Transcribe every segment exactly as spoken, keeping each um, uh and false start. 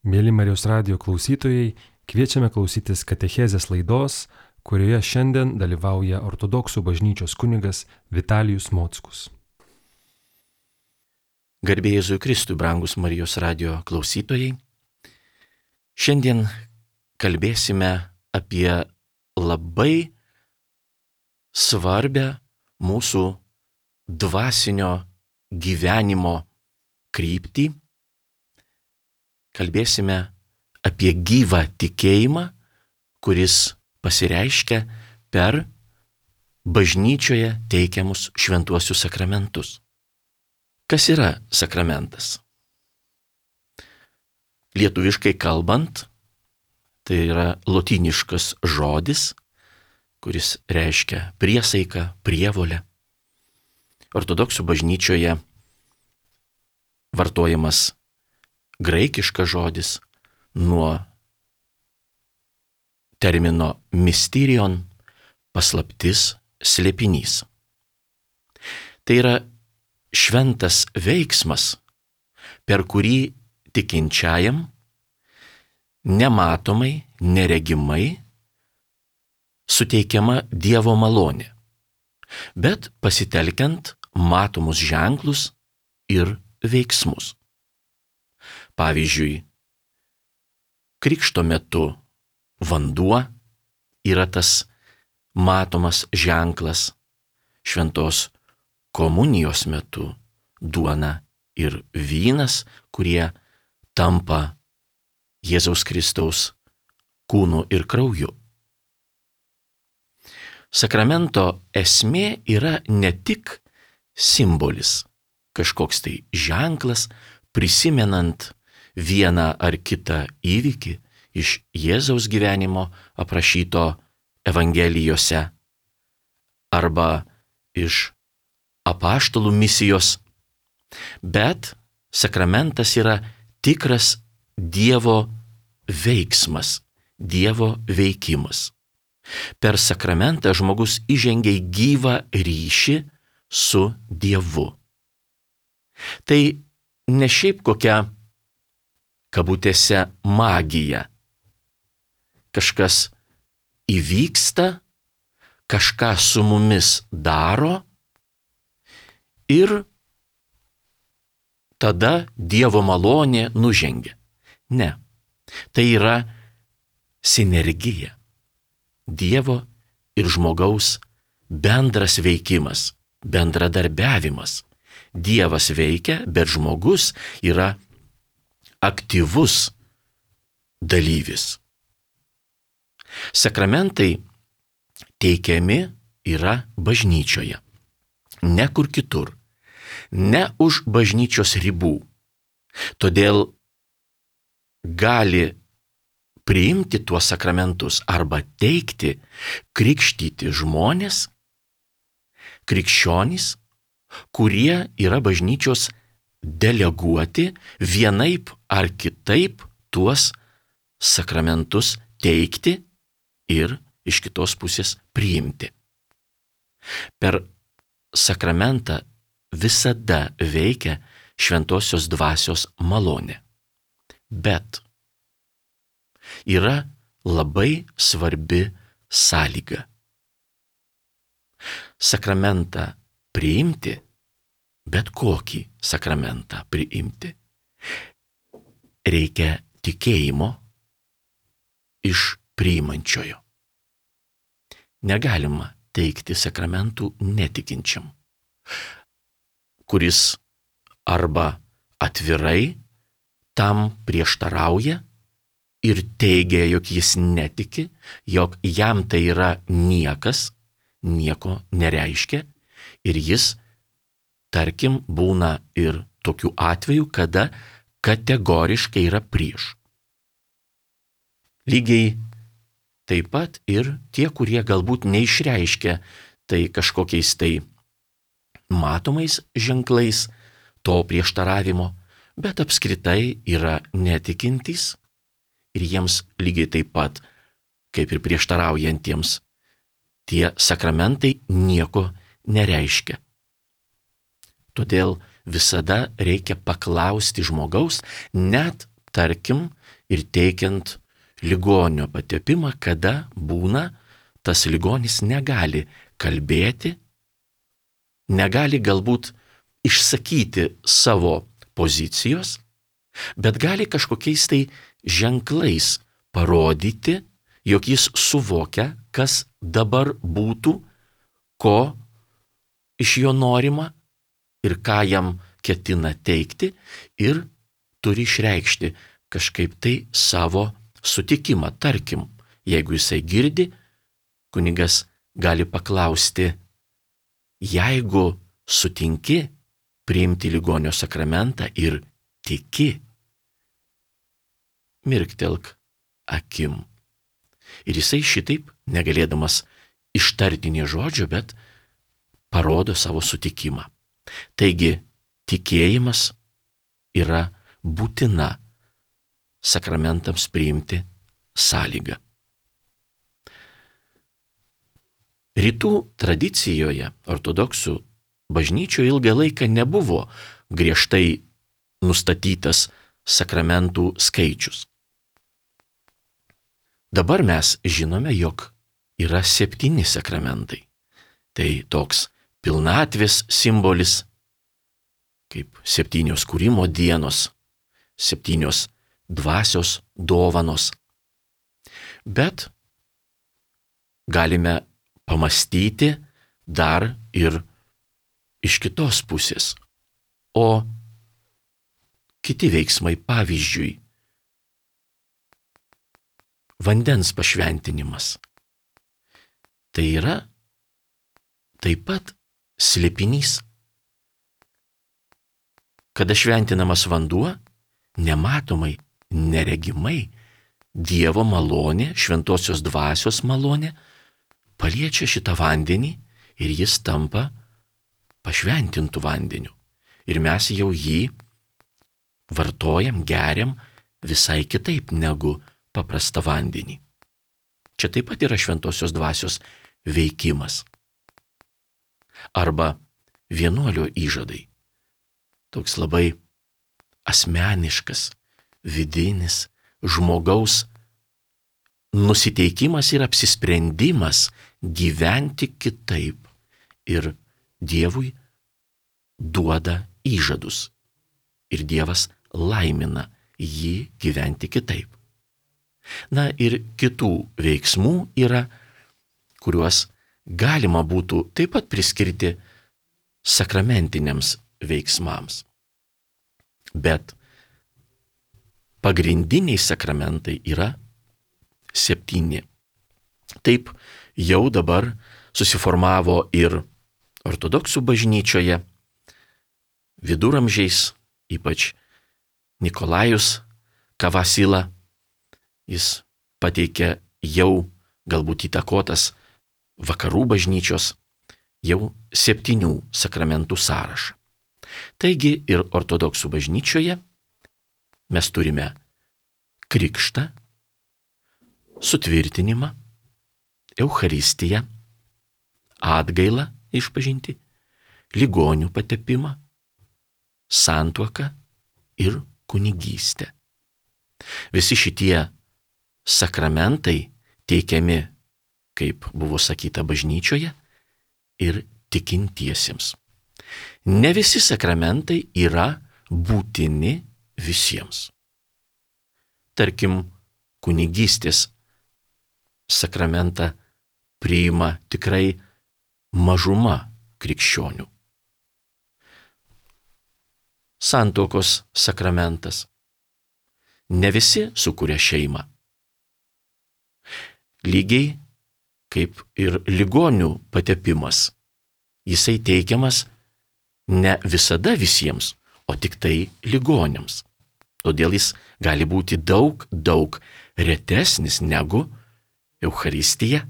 Mėly Marijos radijo klausytojai, kviečiame klausytis katechezės laidos, kurioje šiandien dalyvauja ortodoksų bažnyčios kunigas Vitalijus Mockus. Garbė Jėzui Kristui, brangus Marijos radijo klausytojai. Šiandien kalbėsime apie labai svarbę mūsų dvasinio gyvenimo kryptį. Kalbėsime apie gyvą tikėjimą, kuris pasireiškia per bažnyčioje teikiamus šventuosius sakramentus. Kas yra sakramentas? Lietuviškai kalbant, tai yra lotyniškas žodis, kuris reiškia priesaiką, prievolę. Ortodoksų bažnyčioje vartojamas graikiškas žodis nuo termino mysterion, paslaptis, slėpinys. Tai yra šventas veiksmas, per kurį tikinčiajam nematomai, neregimai suteikiama Dievo malonė, bet pasitelkiant matomus ženklus ir veiksmus. Pavyzdžiui, krikšto metu vanduo yra tas matomas ženklas, šventos komunijos metu duona ir vynas, kurie tampa Jėzaus Kristaus kūnu ir krauju. Sakramento esmė yra ne tik simbolis, kažkoks tai ženklas, prisimenant vieną ar kitą įvykį iš Jėzaus gyvenimo aprašyto Evangelijose arba iš apaštalų misijos, bet sakramentas yra tikras Dievo veiksmas, Dievo veikimas. Per sakramentą žmogus įžengia į gyvą ryšį su Dievu. Tai ne šiaip kokia kabutėse magija. Kažkas įvyksta, kažką su mumis daro ir tada Dievo malonė nužengia. Ne, tai yra sinergija. Dievo ir žmogaus bendras veikimas, bendradarbiavimas. Dievas veikia, bet žmogus yra aktyvus dalyvis. Sakramentai teikiami yra bažnyčioje, ne kur kitur, ne už bažnyčios ribų. Todėl gali priimti tuos sakramentus arba teikti, krikštyti žmonės, krikščionys, kurie yra bažnyčios deleguoti vienaip ar kitaip tuos sakramentus teikti ir iš kitos pusės priimti. Per sakramentą visada veikia šventosios dvasios malonė. Bet yra labai svarbi sąlyga. Sakramentą priimti, bet kokį sakramentą priimti, reikia tikėjimo iš priimančiojo. Negalima teikti sakramentų netikinčiam, kuris arba atvirai tam prieštarauja ir teigia, jog jis netiki, jog jam tai yra niekas, nieko nereiškia, ir jis, tarkim, būna ir tokių atvejų, kada kategoriškai yra prieš. Lygiai taip pat ir tie, kurie galbūt neišreiškia tai kažkokiais tai matomais ženklais to prieštaravimo, bet apskritai yra netikintys ir jiems lygiai taip pat, kaip ir prieštaraujantiems, tie sakramentai nieko nereiškia. Todėl visada reikia paklausti žmogaus, net, tarkim, ir teikiant ligonio patepimą, kada būna tas ligonis negali kalbėti, negali galbūt išsakyti savo pozicijos, bet gali kažkokiais tai ženklais parodyti, jog jis suvokia, kas dabar būtų, ko iš jo norima ir ką jam ketina teikti, ir turi išreikšti kažkaip tai savo sutikimą. Tarkim, jeigu jisai girdi, kunigas gali paklausti: jeigu sutinki priimti ligonio sakramentą ir tiki, mirktelk akim. Ir jisai šitaip, negalėdamas ištarti nė žodžio, bet parodo savo sutikimą. Taigi, tikėjimas yra būtina sakramentams priimti sąlyga. Rytų tradicijoje, ortodoksų bažnyčioje ilgą laiką nebuvo griežtai nustatytas sakramentų skaičius. Dabar mes žinome, jog yra septyni sakramentai. Tai toks pilnatvės simbolis, kaip septynios kūrimo dienos, septynios dvasios dovanos. Bet galime pamastyti dar ir iš kitos pusės. O kiti veiksmai, pavyzdžiui, vandens pašventinimas. Tai yra taip pat slėpinys. Kada šventinamas vanduo, nematomai, neregimai, Dievo malonė, šventosios dvasios malonė, paliečia šitą vandenį ir jis tampa pašventintų vandeniu. Ir mes jau jį vartojam, geriam visai kitaip negu paprastą vandenį. Čia taip pat yra šventosios dvasios veikimas. Arba vienuolio įžadai. Toks labai asmeniškas, vidinis žmogaus nusiteikimas ir apsisprendimas gyventi kitaip. Ir Dievui duoda įžadus. Ir Dievas laimina jį gyventi kitaip. Na ir kitų veiksmų yra, kuriuos galima būtų taip pat priskirti sakramentiniams veiksmams. Bet pagrindiniai sakramentai yra septyni. Taip jau dabar susiformavo ir ortodoksų bažnyčioje, viduramžiais, ypač Nikolajus Kavasila, jis pateikė jau galbūt įtakotas vakarų bažnyčios jau septynių sakramentų sąrašą. Taigi ir ortodoksų bažnyčioje mes turime krikštą, sutvirtinimą, Eucharistiją, atgailą išpažinti, ligonių patepimą, santuoką ir kunigystę. Visi šitie sakramentai teikiami, kaip buvo sakyta, bažnyčioje ir tikintiesiems. Ne visi sakramentai yra būtini visiems. Tarkim, kunigystės sakramentą priima tikrai mažuma krikščionių. Santuokos sakramentas. Ne visi sukuria šeimą. Lygiai kaip ir ligonių patepimas. Jisai teikiamas ne visada visiems, o tik tai ligoniams. Todėl jis gali būti daug, daug retesnis negu Eucharistija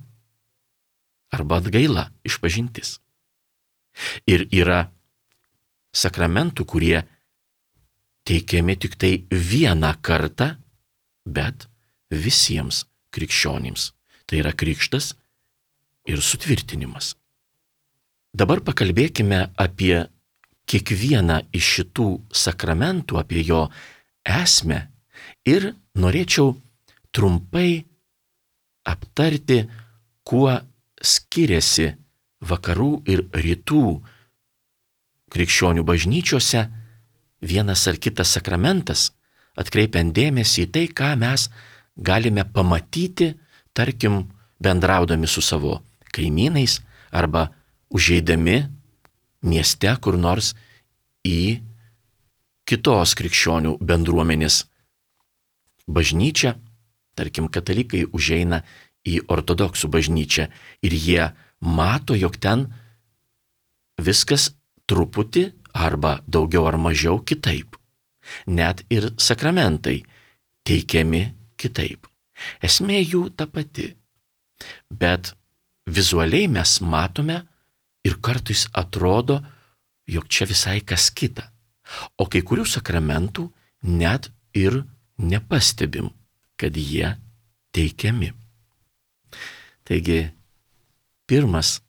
arba atgaila, išpažintis. Ir yra sakramentų, kurie teikiami tik tai vieną kartą, bet visiems krikščionims. Tai yra krikštas ir sutvirtinimas. Dabar pakalbėkime apie kiekvieną iš šitų sakramentų, apie jo esmę Ir norėčiau trumpai aptarti, kuo skiriasi vakarų ir rytų krikščionių bažnyčiose vienas ar kitas sakramentas, atkreipiant dėmesį į tai, ką mes galime pamatyti, tarkim, bendraudami su savo kaimynais arba užeidami mieste kur nors į kitos krikščionių bendruomenės bažnyčią. Tarkim, katalikai užeina į ortodoksų bažnyčią ir jie mato, jog ten viskas truputį arba daugiau ar mažiau kitaip. Net ir sakramentai teikiami kitaip. Esmė jų ta pati. Bet vizualiai mes matome ir kartais atrodo, jog čia visai kas kita. O kai kurių sakramentų net ir nepastebim, kad jie teikiami. Taigi, pirmas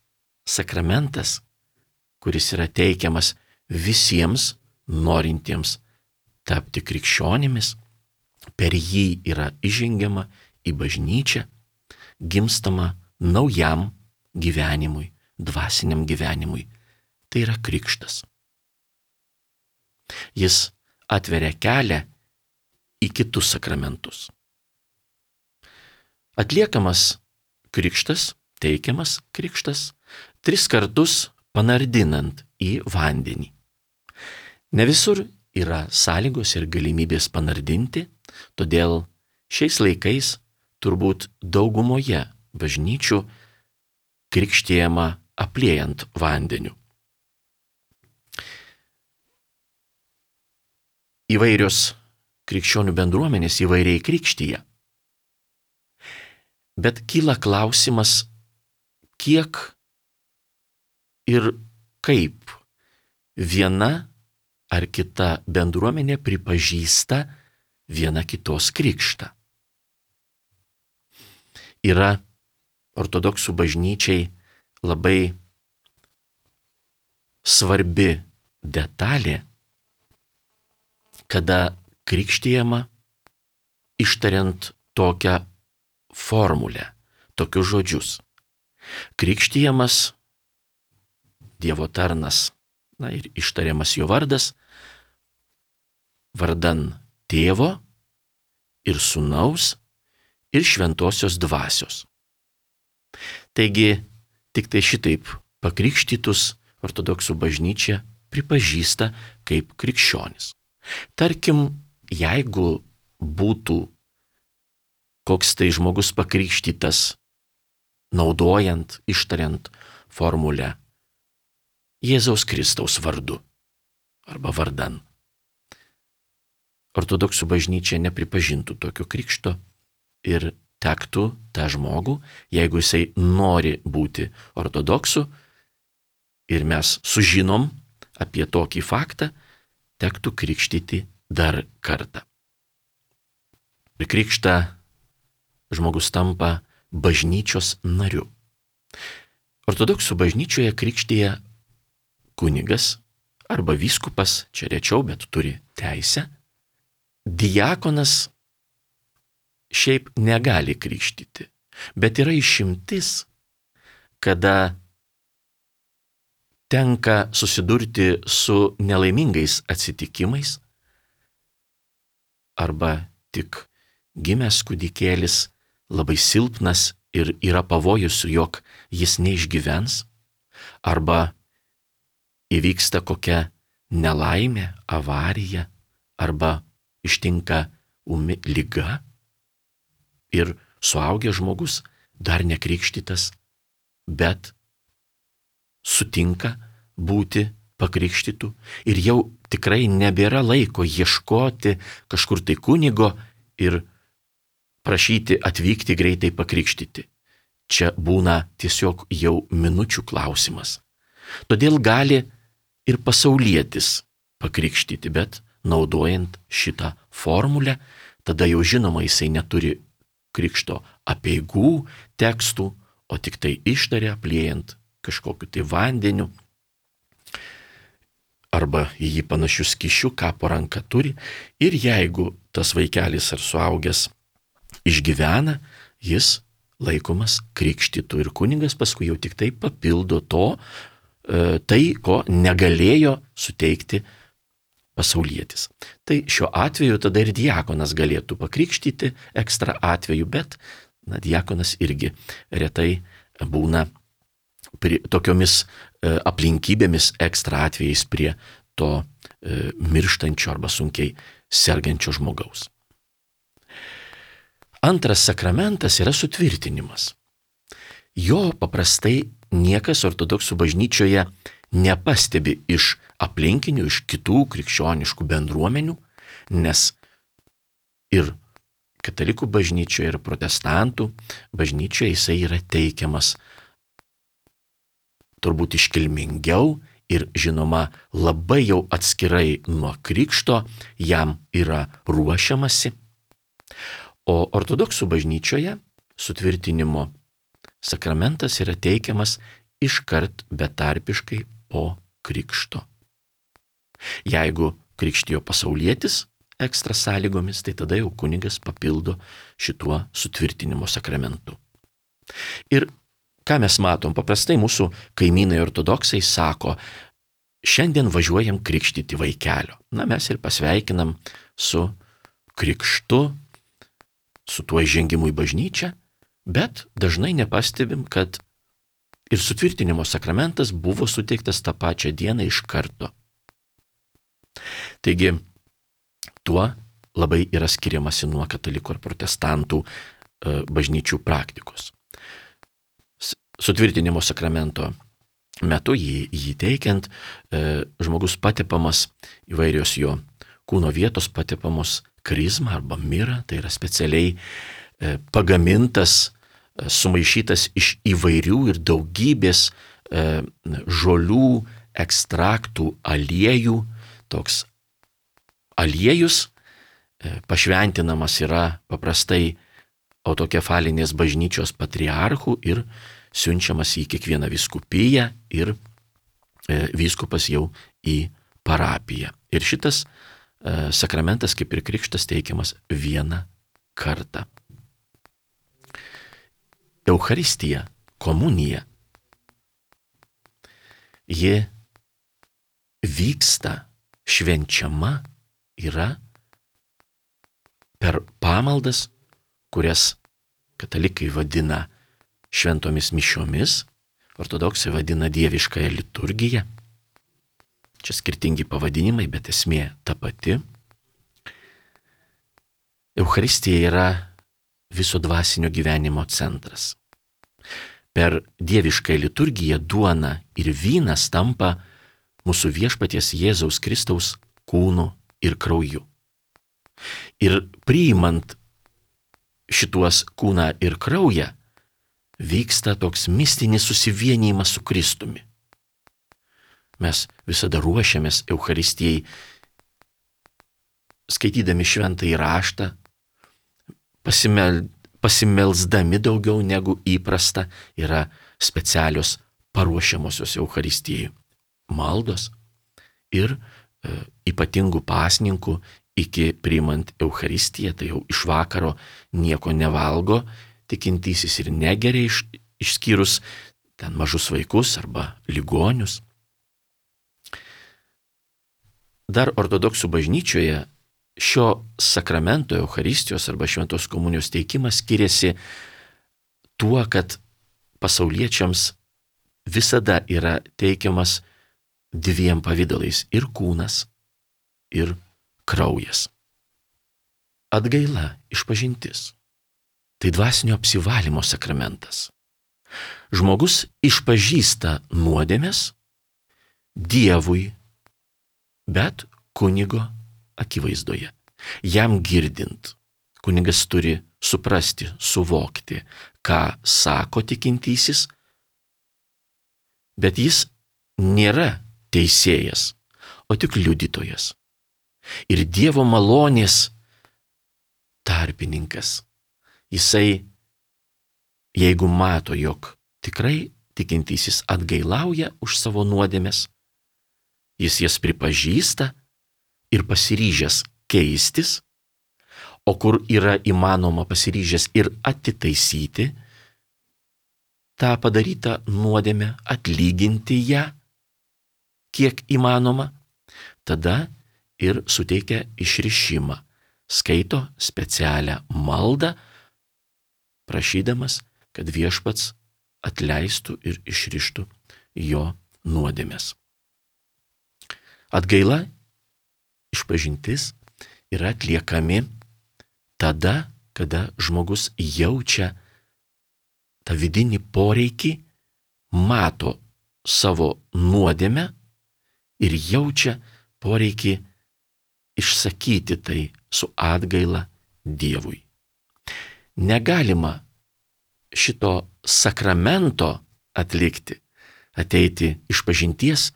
sakramentas, kuris yra teikiamas visiems norintiems tapti krikščionimis, per jį yra įžengiama į bažnyčią, gimstama naujam gyvenimui, dvasiniam gyvenimui. Tai yra krikštas. Jis atveria kelią į kitus sakramentus. Atliekamas krikštas, teikiamas krikštas, tris kartus panardinant į vandenį. Ne visur yra sąlygos ir galimybės panardinti, todėl šiais laikais turbūt daugumoje bažnyčių krikštijama apliejant vandeniu. Įvairios krikščionių bendruomenės įvairiai krikštyja. Bet kyla klausimas, kiek ir kaip viena ar kita bendruomenė pripažįsta viena kitos krikštą. Yra ortodoksų bažnyčiai labai svarbi detalė, kada krikštijama ištariant tokią formulę, tokius žodžius. Krikštijamas Dievo tarnas, na ir ištariamas jo vardas, vardan Tėvo ir Sūnaus ir Šventosios Dvasios. Taigi, tik tai šitaip pakrikštytus ortodoksų bažnyčia pripažįsta kaip krikščionis. Tarkim, jeigu būtų koks tai žmogus pakrikštytas, naudojant, ištariant formulę Jėzaus Kristaus vardu arba vardan. Ortodoksų bažnyčia nepripažintų tokio krikšto ir tektų tą žmogų, jeigu jisai nori būti ortodoksu ir mes sužinom apie tokį faktą, tektų krikštyti dar kartą. Ir krikštą žmogus tampa bažnyčios nariu. Ortodoksų bažnyčioje krikštija kunigas arba vyskupas, čia rečiau, bet turi teisę. Diakonas šiaip negali krikštyti, bet yra išimtis, kada tenka susidurti su nelaimingais atsitikimais arba tik gimęs kūdikėlis labai silpnas ir yra pavojus, jog jis neišgyvens, arba įvyksta kokia nelaimė, avarija, arba ištinka ūmi liga ir suaugęs žmogus, dar nekrikštytas, bet sutinka būti pakrikštytų ir jau tikrai nebėra laiko ieškoti kažkur tai kunigo ir prašyti atvykti greitai pakrikštyti. Čia būna tiesiog jau minučių klausimas. Todėl gali ir pasaulietis pakrikštyti, bet naudojant šitą formulę, tada jau žinoma jisai neturi krikšto apeigų tekstų, o tik tai ištaria apliejant kažkokiu tai vandeniu arba į jį panašių skysčių, ką po ranka turi. Ir jeigu tas vaikelis ar suaugęs išgyvena, jis laikomas krikštytu ir kunigas paskui jau tik tai papildo to, tai, ko negalėjo suteikti pasaulietis. Tai šiuo atveju tada ir diakonas galėtų pakrikštyti ekstra atveju, bet na, diakonas irgi retai būna prie, tokiomis e, aplinkybėmis ekstra atvejais prie to e, mirštančio arba sunkiai sergančio žmogaus. Antras sakramentas yra sutvirtinimas. Jo paprastai niekas ortodoksų bažnyčioje nepastebi iš aplinkinių, iš kitų krikščioniškų bendruomenių, nes ir katalikų bažnyčioje, ir protestantų bažnyčioje jisai yra teikiamas turbūt iškilmingiau ir žinoma labai jau atskirai nuo krikšto jam yra ruošiamasi. O ortodoksų bažnyčioje sutvirtinimo sakramentas yra teikiamas iškart betarpiškai po krikšto. Jeigu krikštijo pasaulietis ekstra sąlygomis, tai tada jau kunigas papildo šituo sutvirtinimo sakramentu. Ir ką mes matom, paprastai mūsų kaimynai ortodoksai sako, šiandien važiuojam krikštyti vaikelio. Na, mes ir pasveikinam su krikštu, su tuo įžengimu į bažnyčią, bet dažnai nepastebim, kad ir sutvirtinimo sakramentas buvo suteiktas tą pačią dieną iš karto. Taigi, tuo labai yra skiriamasi nuo katalikų ar protestantų e, bažnyčių praktikos. Sutvirtinimo sakramento metu jį, jį teikiant, e, žmogus patepamas įvairios jo kūno vietos patepamos krizma arba mira, tai yra specialiai e, pagamintas, e, sumaišytas iš įvairių ir daugybės e, žolių, ekstraktų, aliejų. Toks aliejus e, pašventinamas yra paprastai autokefalinės bažnyčios patriarchų ir siunčiamas į kiekvieną vyskupiją ir e, vyskupas jau į parapiją. Ir šitas e, sakramentas, kaip ir krikštas, teikiamas vieną kartą. Eucharistija, komunija, ji vyksta, švenčiama yra per pamaldas, kurias katalikai vadina šventomis mišiomis, ortodoksai vadina dieviškąją liturgiją. Čia skirtingi pavadinimai, bet esmė ta pati. Eucharistija yra viso dvasinio gyvenimo centras. Per dieviškąją liturgiją duona ir vynas tampa mūsų viešpaties Jėzaus Kristaus kūnu ir krauju. Ir priimant šituos kūną ir kraują, vyksta toks mistinis susivienijimas su Kristumi. Mes visada ruošiamės Eucharistijai, skaitydami šventąjį raštą, pasimel, pasimelsdami daugiau negu įprasta, yra specialios paruošiamosios Eucharistijai maldos ir e, ypatingų pasninkų iki priimant Eucharistiją, tai jau iš vakaro nieko nevalgo, tikintysis ir negeria, iš, išskyrus ten mažus vaikus arba ligonius. Dar ortodoksų bažnyčioje šio sakramento Eucharistijos arba šventos komunijos teikimas skiriasi tuo, kad pasauliečiams visada yra teikiamas dviem pavydalais - ir kūnas, ir kraujas. Atgaila, išpažintis. Tai dvasinio apsivalymo sakramentas. Žmogus išpažįsta nuodėmes Dievui, bet kunigo akivaizdoje. Jam girdint, kunigas turi suprasti, suvokti, ką sako tikintysis, bet jis nėra teisėjas, o tik liudytojas. Ir Dievo malonės tarpininkas. Jisai, jeigu mato, jog tikrai tikintysis atgailauja už savo nuodėmes, jis jas pripažįsta ir pasiryžęs keistis, o kur yra įmanoma pasiryžęs ir atitaisyti tą padarytą nuodėmę, atlyginti ją, kiek įmanoma, tada ir suteikia išrišimą, skaito specialią maldą, prašydamas, kad viešpats atleistų ir išrištų jo nuodėmės. Atgaila, išpažintis yra atliekami tada, kada žmogus jaučia tą vidinį poreikį, mato savo nuodėmę ir jaučia poreikį išsakyti tai su atgaila Dievui. Negalima šito sakramento atlikti, ateiti išpažinties,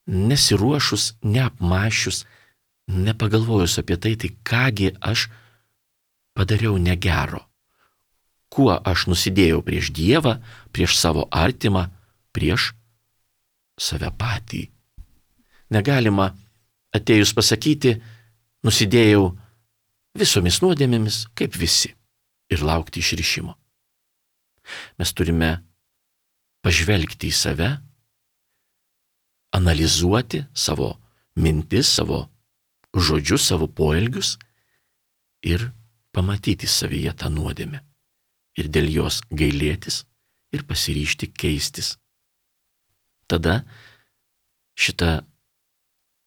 nesiruošus, neapmąsčius, nepagalvojus apie tai, tai kągi aš padariau negero, kuo aš nusidėjau prieš Dievą, prieš savo artimą, prieš save patį. Negalima atėjus pasakyti, nusidėjau visomis nuodėmėmis, kaip visi, ir laukti išrišimo. Mes turime pažvelgti į save, analizuoti savo mintis, savo žodžius, savo poelgius ir pamatyti savyje tą nuodėmę ir dėl jos gailėtis ir pasiryžti keistis. Tada šita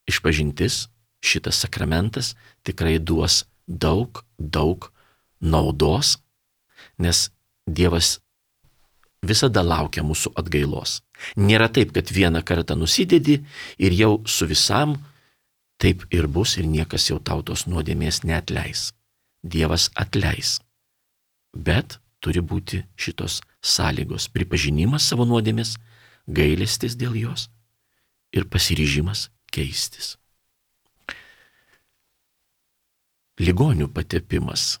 išpažintis, šitas sakramentas tikrai duos daug, daug naudos, nes Dievas visada laukia mūsų atgailos. Nėra taip, kad vieną kartą nusidedi ir jau su visam taip ir bus ir niekas jau tau tos nuodėmės neatleis. Dievas atleis. Bet turi būti šitos sąlygos: pripažinimas savo nuodėmės, gailestis dėl jos ir pasiryžimas keistis. Ligonių patepimas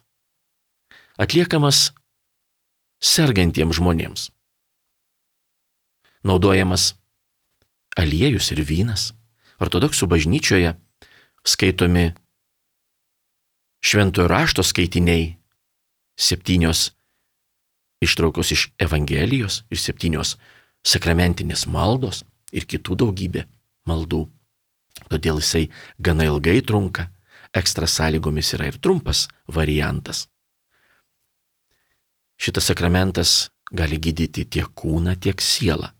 atliekamas sergantiems žmonėms. Naudojamas aliejus ir vynas. Ortodoksų bažnyčioje skaitomi šventojo rašto skaitiniai, septynios ištraukos iš Evangelijos ir septynios sakramentinės maldos ir kitų daugybė maldų. Todėl jisai gana ilgai trunka, ekstra sąlygomis yra ir trumpas variantas. Šitas sakramentas gali gydyti tiek kūną, tiek sielą.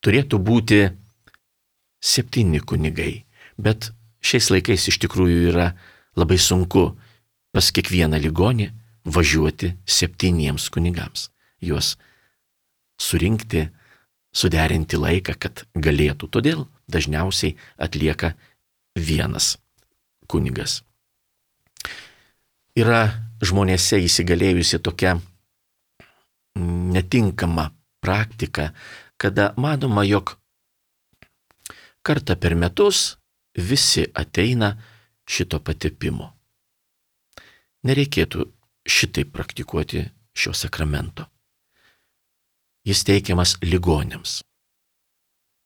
Turėtų būti septyni kunigai, bet šiais laikais iš tikrųjų yra labai sunku pas kiekvieną ligonį važiuoti septyniems kunigams. Juos surinkti, suderinti laiką, kad galėtų. Todėl dažniausiai atlieka vienas kunigas. Yra žmonėse įsigalėjusi tokia netinkama praktika, kada manoma, jog kartą per metus visi ateina šito patepimo. Nereikėtų šitaip praktikuoti šio sakramento. Jis teikiamas ligoniams.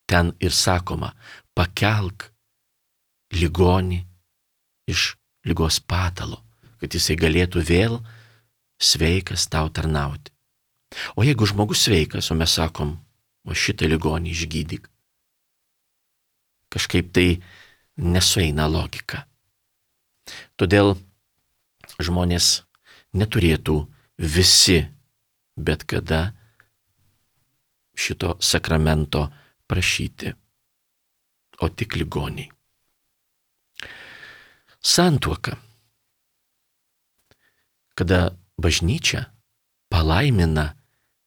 Ten ir sakoma, pakelk ligonį iš ligos patalo, kad jisai galėtų vėl sveikas tau tarnauti. O jeigu žmogus sveikas, o mes sakom, o šitą ligonį išgydyk, kažkaip tai nesueina logika. Todėl žmonės neturėtų visi bet kada šito sakramento prašyti, o tik ligoniai. Santuoka. Kada bažnyčia palaimina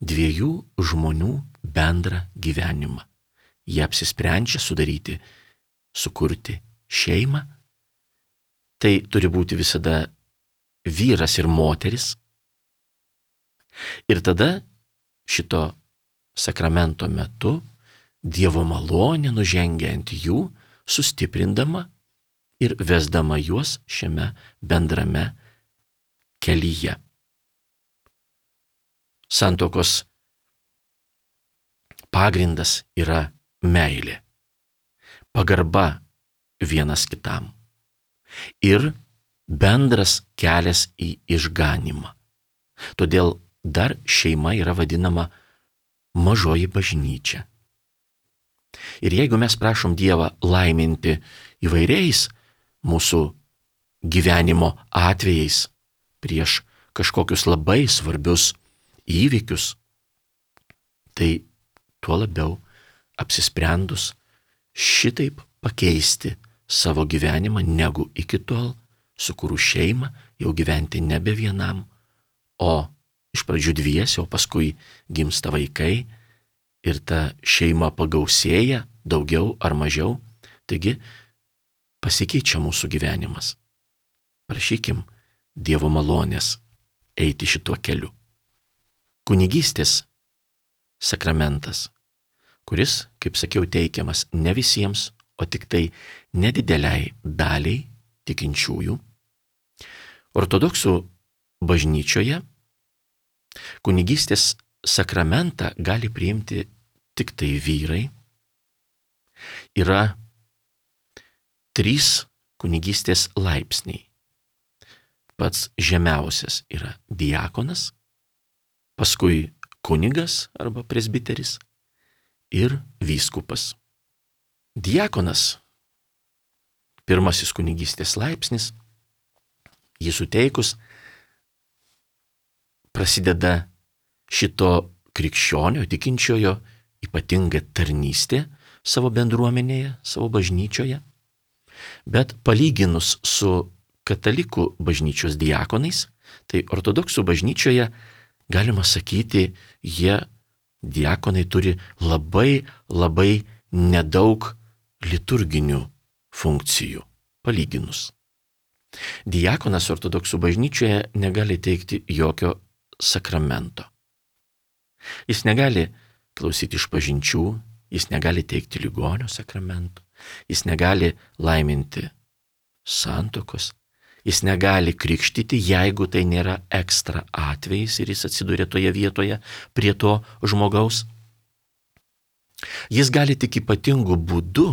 dviejų žmonių bendrą gyvenimą. Jie apsisprendžia sudaryti, sukurti šeimą. Tai turi būti visada vyras ir moteris. Ir tada šito sakramento metu Dievo malonė nužengia ant jų, sustiprindama ir vesdama juos šiame bendrame kelyje. Santuokos pagrindas yra meilė, pagarba vienas kitam. ir bendras kelias į išganymą. Todėl dar šeima yra vadinama mažoji bažnyčia. Ir jeigu mes prašom Dievą laiminti įvairiais mūsų gyvenimo atvejais prieš kažkokius labai svarbius įvykius, tai tuo labiau apsisprendus šitaip pakeisti savo gyvenimą negu iki tol, sukūrus šeimą, jau gyventi nebe vienam, o iš pradžių dviese, o paskui gimsta vaikai ir ta šeima pagausėja daugiau ar mažiau, taigi pasikeičia mūsų gyvenimas. Prašykim Dievo malonės eiti šituo keliu. Kunigystės sakramentas, kuris, kaip sakiau, teikiamas ne visiems, o tik tai nedideliai daliai tikinčiųjų. Ortodoksų bažnyčioje kunigystės sakramentą gali priimti tik tai vyrai. Yra trys kunigystės laipsniai. Pats žemiausias yra diakonas, paskui kunigas arba presbiteris ir vyskupas. Diakonas, pirmasis kunigystės laipsnis, jį suteikus prasideda šito krikščionio, tikinčiojo ypatinga tarnystė savo bendruomenėje, savo bažnyčioje. Bet palyginus su katalikų bažnyčios diakonais, tai ortodoksų bažnyčioje, galima sakyti, jie diakonai turi labai, labai nedaug liturginių funkcijų, palyginus. Diakonas ortodoksų bažnyčioje negali teikti jokio sakramento. Jis negali klausyti išpažinčių, jis negali teikti ligonio sakramento, jis negali laiminti santuokos, jis negali krikštyti, jeigu tai nėra ekstra atvejis ir jis atsiduria toje vietoje prie to žmogaus. Jis gali tik ypatingų būdų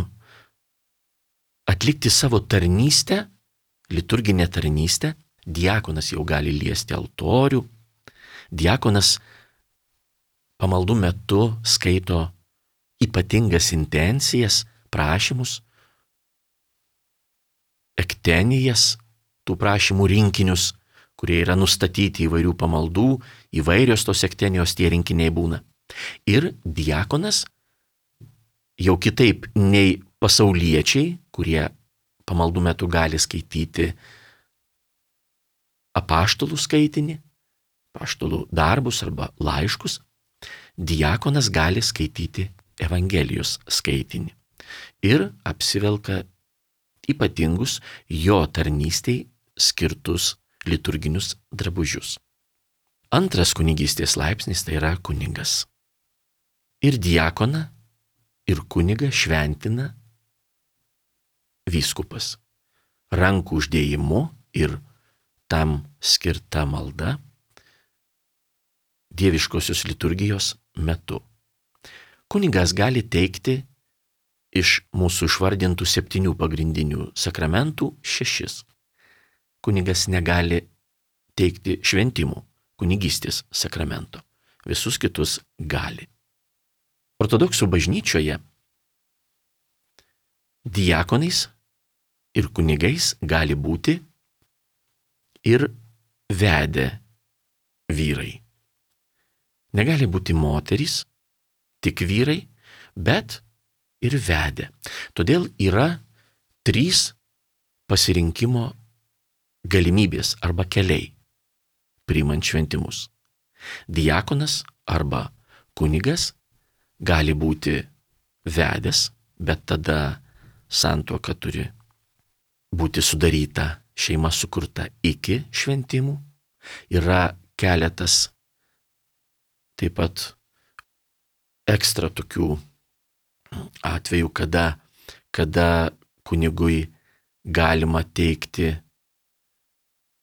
atlikti savo tarnystę, liturginę tarnystę. Diakonas jau gali liesti altorių. Diakonas pamaldų metu skaito ypatingas intencijas, prašymus, ektenijas, tų prašymų rinkinius, kurie yra nustatyti įvairių pamaldų, įvairios tos ektenijos tie rinkiniai būna. Ir diakonas jau kitaip nei pasauliečiai, kurie pamaldų metu gali skaityti apaštalų skaitinį, apaštalų darbus arba laiškus, diakonas gali skaityti Evangelijos skaitinį ir apsivelka ypatingus jo tarnystei skirtus liturginius drabužius. Antras kunigystės laipsnis tai yra kunigas. Ir diakoną, ir kunigą šventina vyskupas. Rankų uždėjimu ir tam skirta malda dieviškosios liturgijos metu. Kunigas gali teikti iš mūsų išvardintų septynių pagrindinių sakramentų šešis. Kunigas negali teikti šventimų, kunigystės sakramento. Visus kitus gali. Ortodoksų bažnyčioje diakonais ir kunigais gali būti ir vedę vyrai. Negali būti moterys, tik vyrai, bet ir vedę. Todėl yra trys pasirinkimo galimybės arba keliai priimant šventimus. Diakonas arba kunigas gali būti vedęs, bet tada santuoka turi būti sudaryta, šeima sukurta iki šventimų. Yra keletas taip pat ekstra tokių atvejų, kada, kada kunigui galima teikti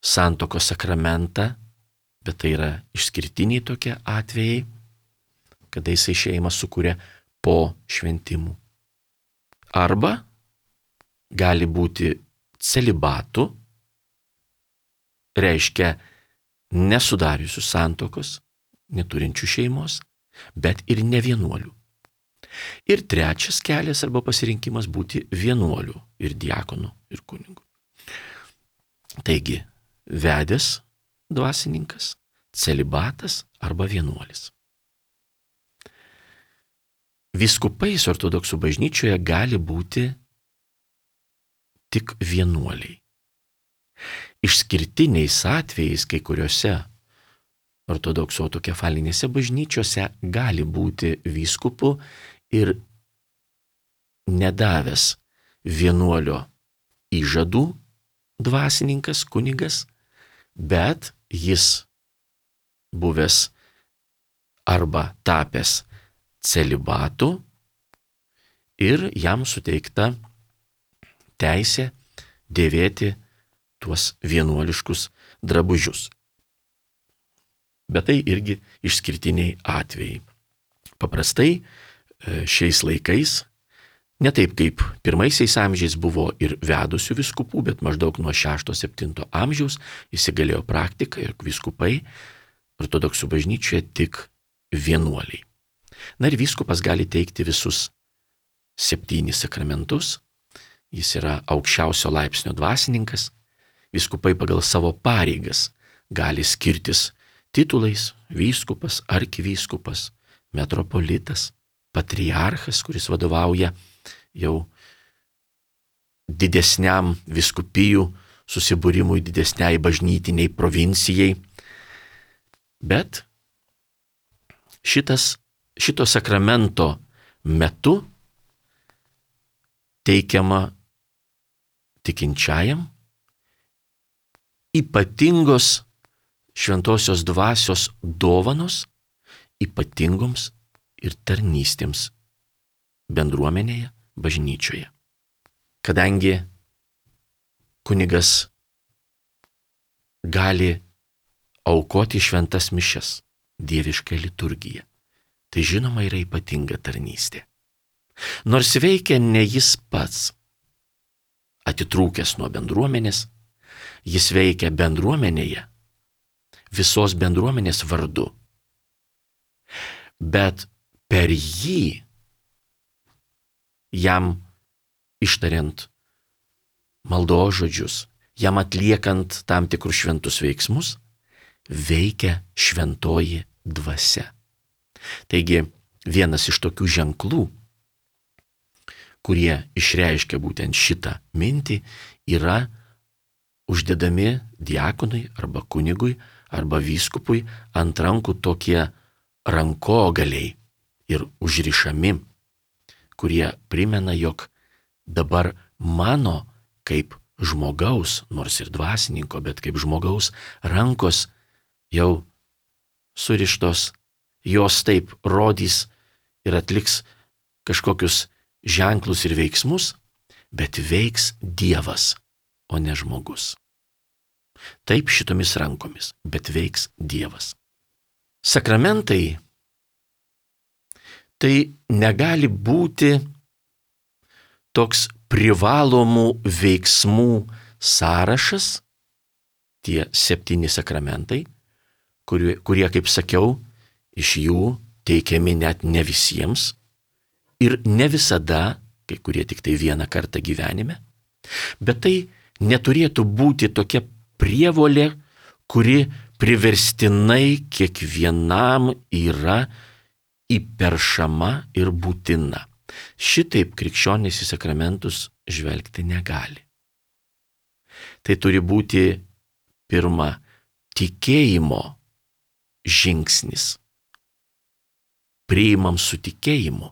santuokos sakramentą, bet tai yra išskirtiniai tokie atvejai, kada jisai šeimą sukuria po šventimų. Arba gali būti celibatu reiškia nesudariusių santokos, neturinčių šeimos, bet ir ne vienuolių. Ir trečias kelias arba pasirinkimas būti vienuolių ir diakonu ir kunigu. Taigi, vedęs dvasininkas, celibatas arba vienuolis. Vyskupais ortodoksų bažnyčioje gali būti tik vienuoliai. Išskirtiniais atvejais kai kuriuose ortodoksų autokefalinėse bažnyčiose gali būti vyskupu ir nedavęs vienuolio įžadų dvasininkas, kunigas, bet jis buvęs arba tapęs celibatu ir jam suteikta teisė dėvėti tuos vienuoliškus drabužius. Bet tai irgi išskirtiniai atvejai. Paprastai šiais laikais, ne taip kaip pirmaisiais amžiais buvo ir vedusių vyskupų, bet maždaug nuo šešto septinto amžiaus įsigalėjo praktika ir vyskupai ortodoksų bažnyčioje tik vienuoliai. Na ir vyskupas gali teikti visus septynis sakramentus, jis yra aukščiausio laipsnio dvasininkas, vyskupai pagal savo pareigas gali skirtis titulais: vyskupas, arkivyskupas, metropolitas, patriarchas, kuris vadovauja jau didesniam vyskupijų susibūrimui, didesniai bažnytiniai provincijai. Bet šitas, šito sakramento metu teikiama tikinčiajam ypatingos šventosios dvasios dovanos ypatingoms ir tarnystėms bendruomenėje, bažnyčioje. Kadangi kunigas gali aukoti šventas mišias, dievišką liturgiją, tai žinoma yra ypatinga tarnystė. Nors veikia ne jis pats, atitrūkęs nuo bendruomenės, jis veikia bendruomenėje, visos bendruomenės vardu. Bet per jį, jam ištariant maldos žodžius, jam atliekant tam tikrus šventus veiksmus, veikia šventoji dvasia. Taigi vienas iš tokių ženklų, kurie išreiškia būtent šitą mintį, yra uždedami diakonui arba kunigui arba vyskupui ant rankų tokie rankogaliai ir užrišami, kurie primena, jog dabar mano kaip žmogaus, nors ir dvasininko, bet kaip žmogaus rankos jau surištos, jos taip rodys ir atliks kažkokius ženklus ir veiksmus, bet veiks Dievas, o ne žmogus. Taip šitomis rankomis, bet veiks Dievas. Sakramentai tai negali būti toks privalomų veiksmų sąrašas, tie septyni sakramentai, kurie, kurie, kaip sakiau, iš jų teikiami net ne visiems ir ne visada, kai kurie tik tai vieną kartą gyvenime, bet tai neturėtų būti tokia prievolė, kuri priverstinai kiekvienam yra įperšama ir būtina. Šitaip krikščionys į sakramentus žvelgti negali. Tai turi būti pirma tikėjimo žingsnis. Priimam su tikėjimu.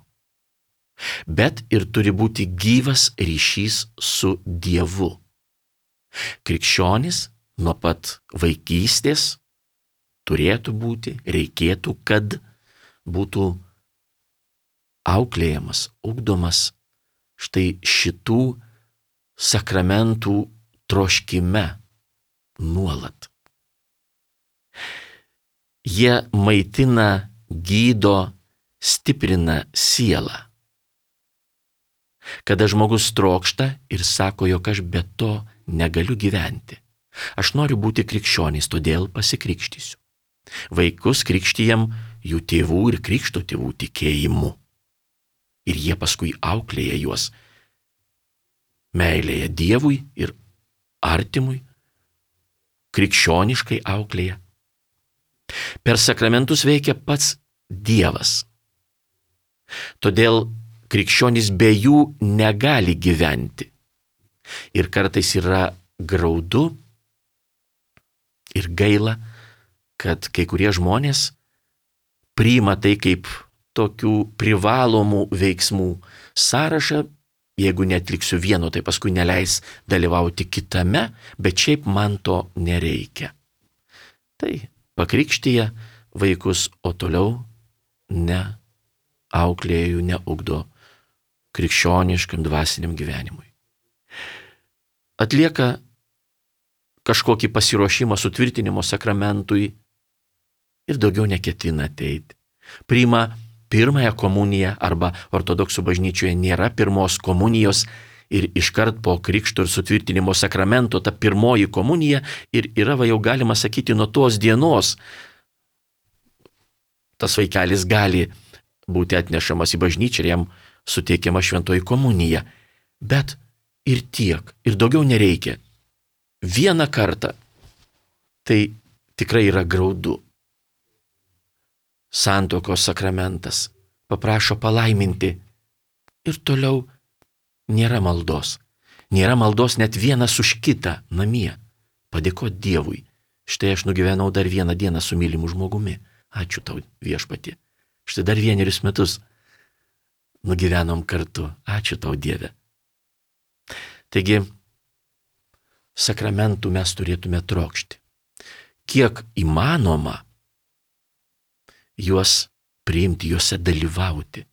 Bet ir turi būti gyvas ryšys su Dievu. Krikščionis nuo pat vaikystės turėtų būti, reikėtų, kad būtų auklėjamas, ugdomas štai šitų sakramentų troškime nuolat. Jie maitina, gydo, stiprina sielą. Kada žmogus trokšta ir sako, jog aš be to negaliu gyventi. Aš noriu būti krikščionys, todėl pasikrikštysiu. Vaikus krikštijam jų tėvų ir krikšto tėvų tikėjimu. Ir jie paskui auklėja juos meilėje Dievui ir artimui, krikščioniškai auklėja. Per sakramentus veikia pats Dievas. Todėl krikščionys be jų negali gyventi. Ir kartais yra graudu ir gaila, kad kai kurie žmonės priima tai kaip tokių privalomų veiksmų sąrašą. Jeigu netliksiu vieno, tai paskui neleis dalyvauti kitame, bet šiaip man to nereikia. Tai pakrikštyja vaikus, o toliau ne auklėjų, neugdo krikščioniškam dvasiniam gyvenimui. Atlieka kažkokį pasiruošimą sutvirtinimo sakramentui ir daugiau neketina ateiti. Priima pirmąją komuniją arba ortodoksų bažnyčioje nėra pirmos komunijos ir iškart po krikšto ir sutvirtinimo sakramento ta pirmoji komunija ir yra, va, jau galima sakyti, nuo tos dienos tas vaikelis gali būti atnešamas į bažnyčią ir jam suteikiama šventoji komunija. Bet ir tiek, ir daugiau nereikia. Vieną kartą tai tikrai yra graudu. Santuokos sakramentas paprašo palaiminti ir toliau nėra maldos. Nėra maldos net vienas už kitą namie. Padėkoti Dievui. Štai aš nugyvenau dar vieną dieną su mylimu žmogumi. Ačiū tau, Viešpatie. Štai dar vienerius metus nugyvenom kartu. Ačiū tau, Dieve. Taigi, sakramentų mes turėtume trokšti. Kiek įmanoma juos priimti, juose dalyvauti,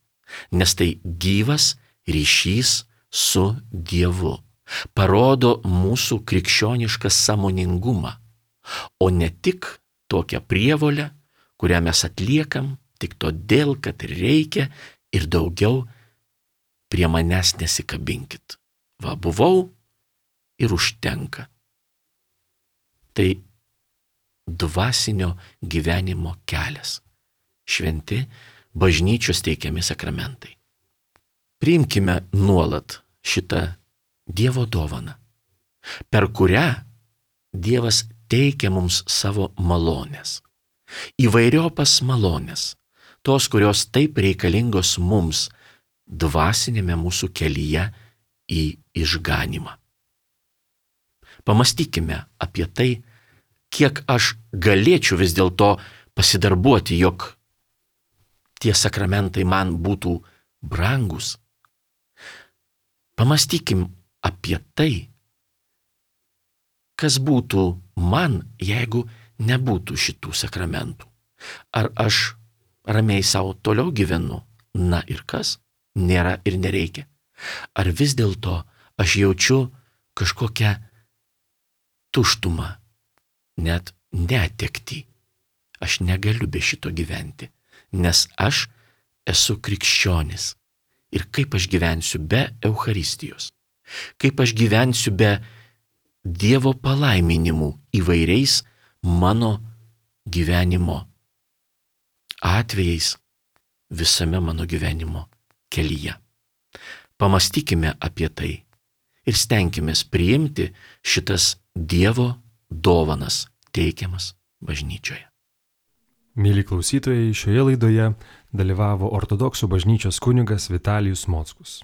nes tai gyvas ryšys su Dievu. Parodo mūsų krikščionišką sąmoningumą, o ne tik tokią prievolę, kurią mes atliekam tik todėl, kad reikia ir daugiau prie manęs nesikabinkit. Va, buvau ir užtenka. Tai dvasinio gyvenimo kelias. Šventi bažnyčios teikiami sakramentai. Priimkime nuolat šitą Dievo dovaną, per kurią Dievas teikia mums savo malonės. Įvairiopas malonės, tos, kurios taip reikalingos mums dvasinėme mūsų kelyje į išganimą. Pamastykime apie tai, kiek aš galėčiau vis dėlto pasidarbuoti, jog tie sakramentai man būtų brangus. Pamastykim apie tai, kas būtų man, jeigu nebūtų šitų sakramentų. Ar aš ramiai savo toliau gyvenu? Na ir kas? Nėra ir nereikia. Ar vis dėlto aš jaučiu kažkokią tuštumą, net netektį? Aš negaliu be šito gyventi, nes aš esu krikščionis. Ir kaip aš gyvensiu be Eucharistijos? Kaip aš gyvensiu be Dievo palaiminimų įvairiais mano gyvenimo atvejais visame mano gyvenimo kelyje? Pamastykime apie tai ir stenkimės priimti šitas Dievo dovanas teikiamas bažnyčioje. Mėly klausytojai, šioje laidoje dalyvavo ortodoksų bažnyčios kunigas Vitalijus Mockus.